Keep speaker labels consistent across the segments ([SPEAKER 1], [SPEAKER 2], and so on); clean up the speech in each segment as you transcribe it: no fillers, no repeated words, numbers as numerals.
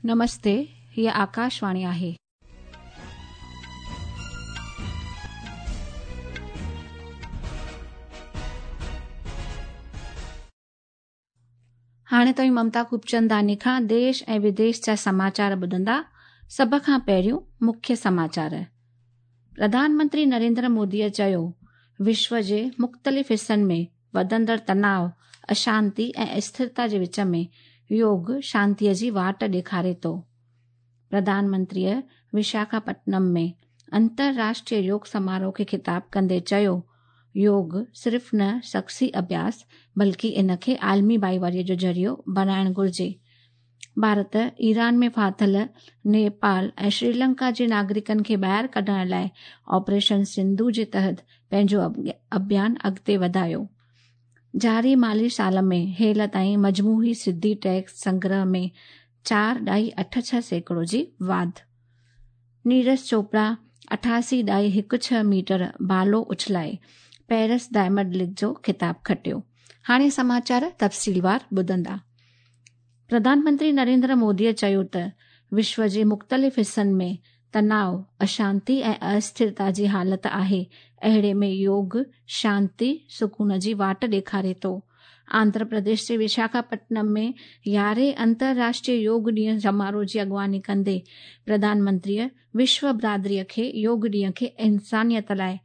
[SPEAKER 1] نمستي، هيء آڪاشواڻي آهي. هاڻي توهين ممتا خوبچنداني کان ديش ۽ وديش جا سماچار ٻڌندا. سڀ کان پهريون مکيه سماچار. پرڌان منتري نريندر موديء چيو، وشو جي مختلف حصن ۾ وڌندڙ تناء، اشانتي ۽ اسٿرتا جي وچ ۾ يوگ شانتيء جي واٽ ڏيکاري ٿو. پرڌان منتريء وشاکاپٽنم ۾ انترراشٽريه يوگ سماروهه کي خطاب ڪندي چيو، يوگ صرف نه شخصي اڀياس بلڪه ان کي عالمي ڀائيواريء جو ذريعو بڻائڻ گهرجي. ڀارت ايران ۾ ڦاٿل نيپال ۽ شريلنڪا جي ناگرڪن کي ٻاهر ڪڍڻ لاء آپريشن سنڌو جي تحت پنهنجو اڀيان اڳتي وڌايو. جاري مالي سال ۾ هيل تائين مجموعي سڌي ٽيڪس سنگرهه ۾ چار ڏهائي اٺ 6% جي واڌ. نيرج چوپڙا 88.16 ميٽر بالو اڇلائي پيرس ڊائمنڊ ليگ جو خطاب کٽيو. هاڻي سماچار تفصيلوار ٻڌندا. پرڌان منتري نريندر موديء چيو ته وشو جي مختلف حصن ۾ تناء، اشانتي ۽ اسٿرتا جي حالت آهي، اهڙي ۾ يوگ شانتي، سڪون جي واٽ ڏيکاري ٿو. آنڌرا پرديش جي وشاکاپٽنم ۾ يارهين انترراشٽريه يوگ ڏينهن سماروهه جي اڳواڻي ڪندي پرڌان منتريء وشو برادريء کي يوگ ڏينهن کي انسانيت لاء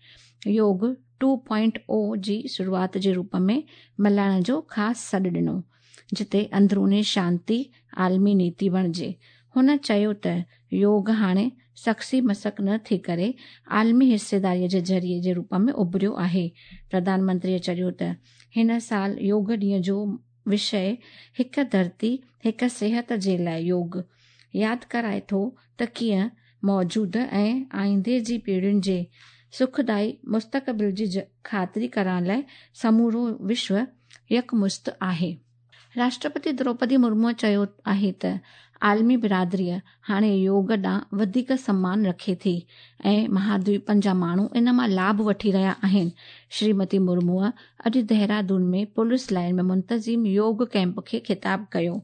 [SPEAKER 1] يوگ ٽو پوائنٽ او جي شروعات جي روپ ۾ ملهائڻ جو خاص سڏ ڏنو، جتي اندروني شانتي عالمي نيتي بڻجي. هن چيو ته يوگ هاڻي شخصي مسق نه ٿي ڪري عالمي حصيداريء جي ذريعي جي روپ ۾ اڀريو آهي. پرڌان منتريء چيو ته هن سال يوگ ڏينهن جو وشيه هڪ ڌرتي هڪ صحت جي لاء يوگ ياد ڪرائي ٿو ته ڪيئن موجوده ۽ آئيندي جي پيڙهين جي سکدائي مستقبل جي خاطري ڪرڻ لاء سمورو وشو يڪمشت آهي. راشٽرپتي دروپدي مرموء چيو آهي ته عالمي برادريء هاڻي يوگ ڏانهن وڌيڪ سمان رکي ٿي ۽ مهادويپن جا ماڻهو ان مان لاڀ وٺي رهيا آهن. شريمتي مرموء اڄ دهرادون ۾ پوليس لائين ۾ منتظم يوگ ڪئمپ کي خطاب ڪيو.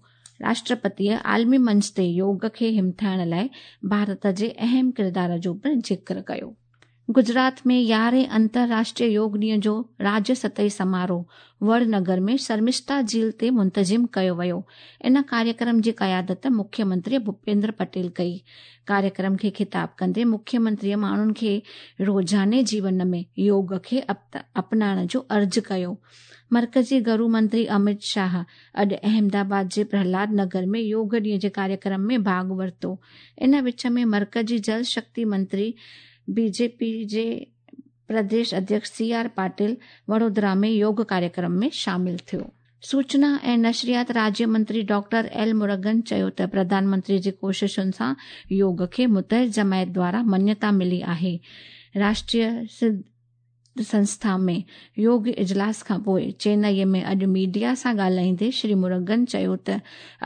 [SPEAKER 1] راشٽرپتيء عالمي منچ تي يوگ کي همٿائڻ لاء ڀارت جي اهم ڪردار جو پڻ ذڪر ڪيو. گجرات ۾ يارهين انترراشٽريه يوگ ڏينهن جو راجيه سطحي سماروهه وڙ نگر ۾ شرمشتا جهيل تي منتظم ڪيو ويو. ان ڪاريڪرم جي قيادت مکيه منتري ڀوپيندر پٽيل ڪئي. ڪاريڪرم کي خطاب ڪندي مکيه منتريء ماڻهن کي روزاني جيون ۾ يوگ کي اپنائڻ جو عرض ڪيو. مرڪزي گهرو منتري امت شاهه اڄ احمد آباد جي پرهلاد نگر ۾ يوگ ڏينهن جي ڪاريڪرم ۾ ڀاڳ ورتو. ان وچ ۾ مرڪزي جل شڪتي منتري بي جي پي جي پرديش اڌيڪش سي آر پاٽل وڙودرا ۾ يوگ ڪاريڪرم ۾ شامل ٿيو. سوچنا ۽ نشريات راجيه منتري ڊاڪٽر ايل مرگن چيو ته پرڌان منتري جي ڪوششن سان يوگ کي متحد جماعت دوارا مڃتا ملي آهي. راشٽريه سنسٿا ۾ يوگ اجلاس کانپوء چينئي ۾ اڄ ميڊيا سان ڳالهائيندي شري مرگن چيو ته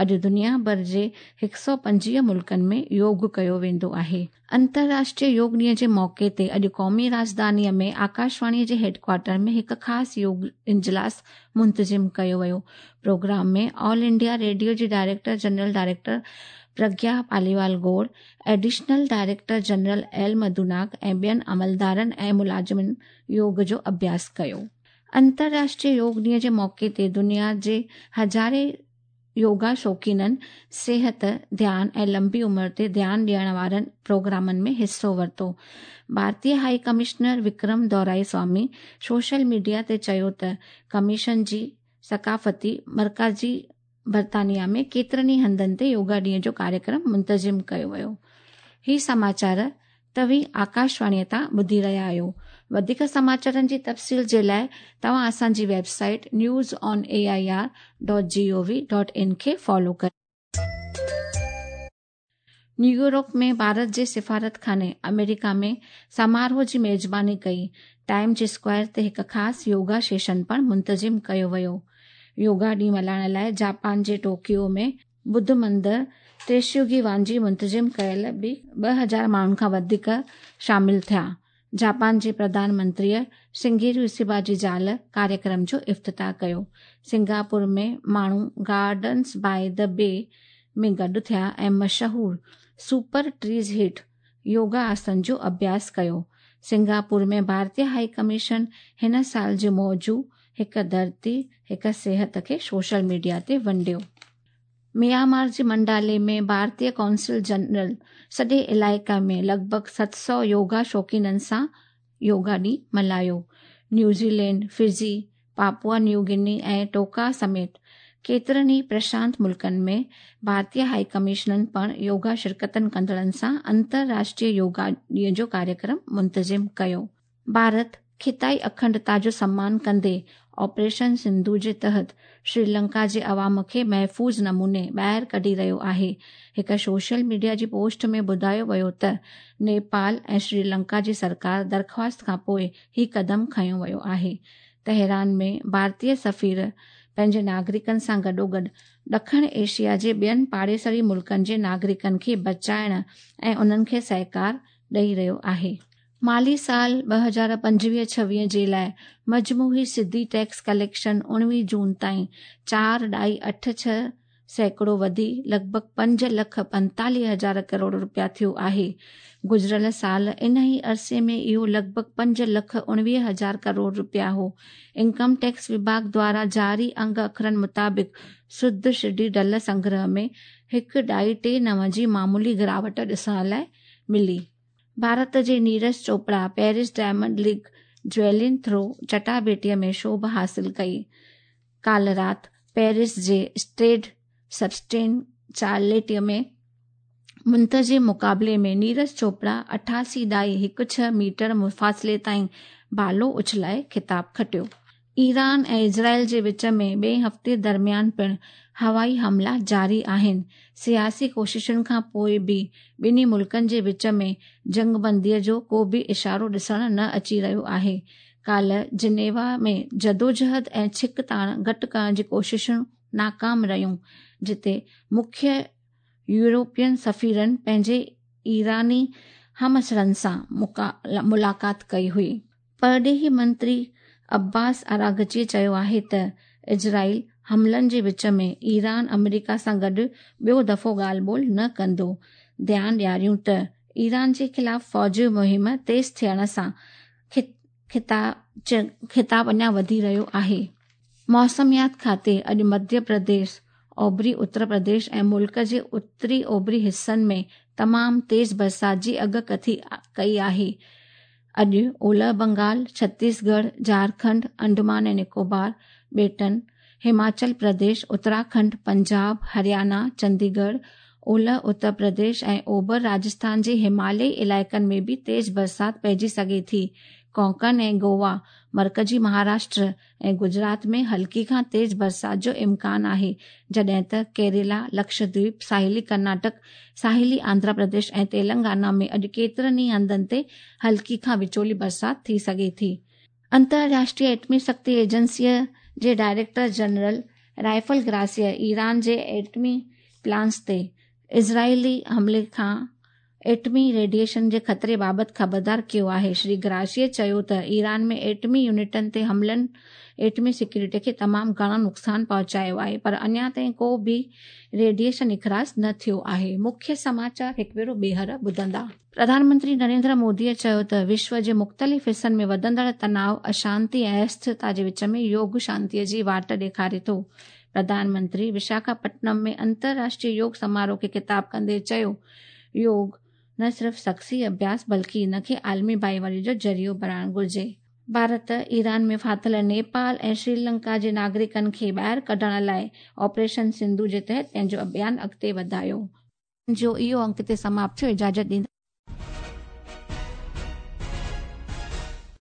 [SPEAKER 1] اڄ دنيا ڀر جي 125 ملڪن ۾ يوگ ڪيو ويندو آهي. انترراشٽريه يوگ ڏينهن جي موقعي تي اڄ قومي راڄڌانيء ۾ آڪاشواڻي جي هيڊ ڪوارٽر ۾ هڪ خاص يوگ اجلاس منتظم ڪيو ويو. پروگرام ۾ آل انڊيا ريڊيو جي director general doctor Pragya Paliwal Gaur, additional director general L Madhunag ۽ ٻين عملدارن ۽ ملازمن يوگ جو اڀياس ڪيو. انترراشٽريه يوگ ڏينهن جي موقعي تي دنيا جي هزارين يوگا شوقينن صحت، ڌيان ۽ لنبي عمر تي ڌيان ڏيڻ وارن پروگرامن ۾ حصو ورتو. ڀارتي high commissioner Vikram Doraiswami social media تي چيو ته ڪميشن جي ثقافتي مرڪزي برطانيا ۾ ڪيترن ئي هنڌن تي يوگا ڏينهن جو ڪاريڪرم منتظم ڪيو ويو. هي سماچار توهين آڪاشواڻيء تان ٻڌي رهيا آهيو. وڌيڪ سماچارن جي تفصيل جي لاء توهان اسان جي website news on A I R dot G O V dot in کي فالو ڪريو. نيويارڪ ۾ ڀارت جي سفارتخاني آمريڪا ۾ سماروهه جي ميزباني ڪئي. ٽائيمز اسڪوائر تي هڪ خاص يوگا سيشن پڻ منتظم ڪيو ويو. يوگا ڏينهن ملهائڻ لاء جاپان جي ٽوڪيو ۾ ٻڌ مندر تيشيوگي وانجي منتظم ڪيل به 2000 ماڻهن کان وڌيڪ شامل ٿيا. جاپان جي پرڌان منتريء شنگيرو اسيبا جي زال ڪاريڪرم جو افتتاح ڪيو. سنگاپور ۾ ماڻهو گارڊنز باء the B ۾ گڏ ٿيا ۽ مشهور سپر ٽريز هيٺ يوگا آسن جو اڀياس ڪيو. سنگاپور ۾ ڀارتي هائي ڪميشن هن سال جي موضوع هڪ ڌرتي هڪ صحت کي سوشل ميڊيا تي ونڊيو. ميانمار جي منڊالي ۾ ڀارتي قونصل جنرل سڄي علائقي ۾ لڳ ڀڳ 700 يوگا شوقينن سان يوگا ڏينهن ملهايو. New Zealand, Fiji, Papua New Guinea ۽ Tonga سميت ڪيترن ئي پرشانت ملڪن ۾ ڀارتي هائي ڪميشنن پڻ يوگا شرڪتن ڪندڙن سان انترراشٽريه يوگا ڏينهن جو ڪاريڪرم منتظم ڪيو. ڀارت خطائي اکنڊتا جو سمان ڪندي آپريشن سنڌو جي تحت شريلنڪا جي عوام کي محفوظ نموني ٻاهر ڪڍي رهيو آهي. هڪ سوشل ميڊيا جي پوسٽ ۾ ٻڌايو ويو ته نيپال ۽ شريلنڪا جي سرڪار درخواست کانپوء هي قدم کنيو ويو آهي. تهران ۾ ڀارتي سفير پنهنجي ناگرڪن سان گڏوگڏ ڏکڻ ايشيا جي ٻين پاڙيسري ملڪن جي ناگرڪن کي بچائڻ ۽ انهن کي سهڪار ڏئي رهيو آهي. مالي سال 2025-26 جي لاءِ مجموعي سڌي ٽيڪس ڪليڪشن 19 جون تائين 4.86% وڌي لڳ ڀڳ 5,45,000 ڪروڙ رپيا ٿيو آهي. گذريل سال ان ئي عرصي ۾ اهو لڳ ڀڳ 5,19,000 ڪروڙ رپيا هو. انڪم ٽيڪس وڀاڳ دوارا جاري انگ اکرن مطابق سڌ سڌي ڍل سنگرهه ۾ 1.39 جي معمولي گراوٽ ڏسڻ لاءِ ملي. ڀارت جي Neeraj Chopra Paris Diamond League javelin throw چٽاڀيٽيءَ ۾ سوڀ حاصل ڪئي. ڪالهه رات پيرس جي اسٽيڊ سبسٽين چارليٽ ۾ منتظم مقابلي ۾ نيرج چوپڙا 88.16 ميٽر مفاصلي تائين ڀالو اڇلائي خطاب کٽيو. ايران ۽ اسرائيل جي وچ ۾ ٻئي هفتي درميان پڻ هوائي حملا جاري آهن. سياسي ڪوششن کان پوءِ به ٻنهي ملڪن جي وچ ۾ جنگبنديءَ جو ڪو به اشارو ڏسڻ نه اچي رهيو آهي. ڪالهه جنيوا ۾ جدوجهد ۽ ڇڪتاڻ گهٽ ڪرڻ جي ڪوششون ناڪام رهيون، جتي مکيه يورپين سفيرن پنهنجي ايراني همعصرن سان ملاقات ڪئي هئي. پرڏيهي منتري عباس عراقچي چيو آهي ته اسرائيل حملن جي وچ ۾ ايران آمريڪا سان گڏ ٻيو دفعو ڳالهه ٻولهه نه ڪندو. ڌيان ڏياريون ته ايران جي خلاف فوجي مهم تيز ٿيڻ سان خطاب اڃا وڌي رهيو آهي. موسميات کاتي اڄ مڌيه پرديش، اوڀري اتر پرديش ۽ ملڪ جي اتري اوڀري حصن ۾ تمام تيز برسات جي اڳڪٿي ڪئي آهي. اڄ اولهه بنگال، ڇتيسڳڙهه، جهارکنڊ، انڊمان ۽ نڪوبار ٻيٽن، هماچل پرديش، اتراکنڊ، پنجاب، هرياڻا، چنديڳڙهه، اولهه اتر پرديش ۽ اوڀر راجسٿان جي هماليائي علائقن ۾ به تيز برسات پئجي سگهي ٿي. ڪونڪن ۽ گوا، مرڪزي مهاراشٽر ۽ گجرات ۾ هلڪي کان تيز برسات جو امڪان آهي، جڏهن ته ڪيرالا، لڪشدويپ، ساحلي ڪرناٽڪ، ساحلي آنڌرا پرديش ۽ تيلنگانا ۾ اڄ ڪيترن ئي هنڌن تي هلڪي کان وچولي برسات ٿي سگهي ٿي. انترراشٽريه ايٽمي شڪتي ايجنسيءَ جي ڊائريڪٽر جنرل رافيل گراسيءَ ايران جي ايٽمي پلانٽس تي اسرائيلي حملي کان ايٽمي ريڊيئيشن جي خطري بابت خبردار ڪيو آهي. شري گراسيءَ چيو ته ايران ۾ ايٽمي يونٽن تي حملن ايٽمي سيڪيورٽي کي تمام گهڻو نقصان پهچايو آهي، پر اڃا تائين ڪو به ريڊيئيشن اخراج نه ٿيو آهي. مکيه سماچار هڪ ڀيرو ٻيهر ٻڌندا. پرڌان منتري نريندر موديءَ چيو ته وشو جي مختلف حصن ۾ وڌندڙ تناءُ، اشانتي ۽ اسٿرتا جي وچ ۾ يوگ شانتيءَ جي واٽ ڏيکاري ٿو. پرڌان منتري وشاکاپٽنم ۾ انترراشٽريه يوگ سماروهه کي خطاب ڪندي چيو، يوگ نه صرف شخصي اڀياس بلڪه ان کي عالمي ڀائيواري جو ذريعو بڻائڻ گهرجي. ڀارت ايران ۾ ڦاٿل نيپال ۽ شريلنڪا جي ناگرڪن کي ٻاهر ڪڍڻ لاءِ آپريشن سنڌو جي تحت پنهنجو اڀيان اڳتي وڌايو. جو اهو انڪ هتي سماپت ٿيو. اجازت ڏيندا.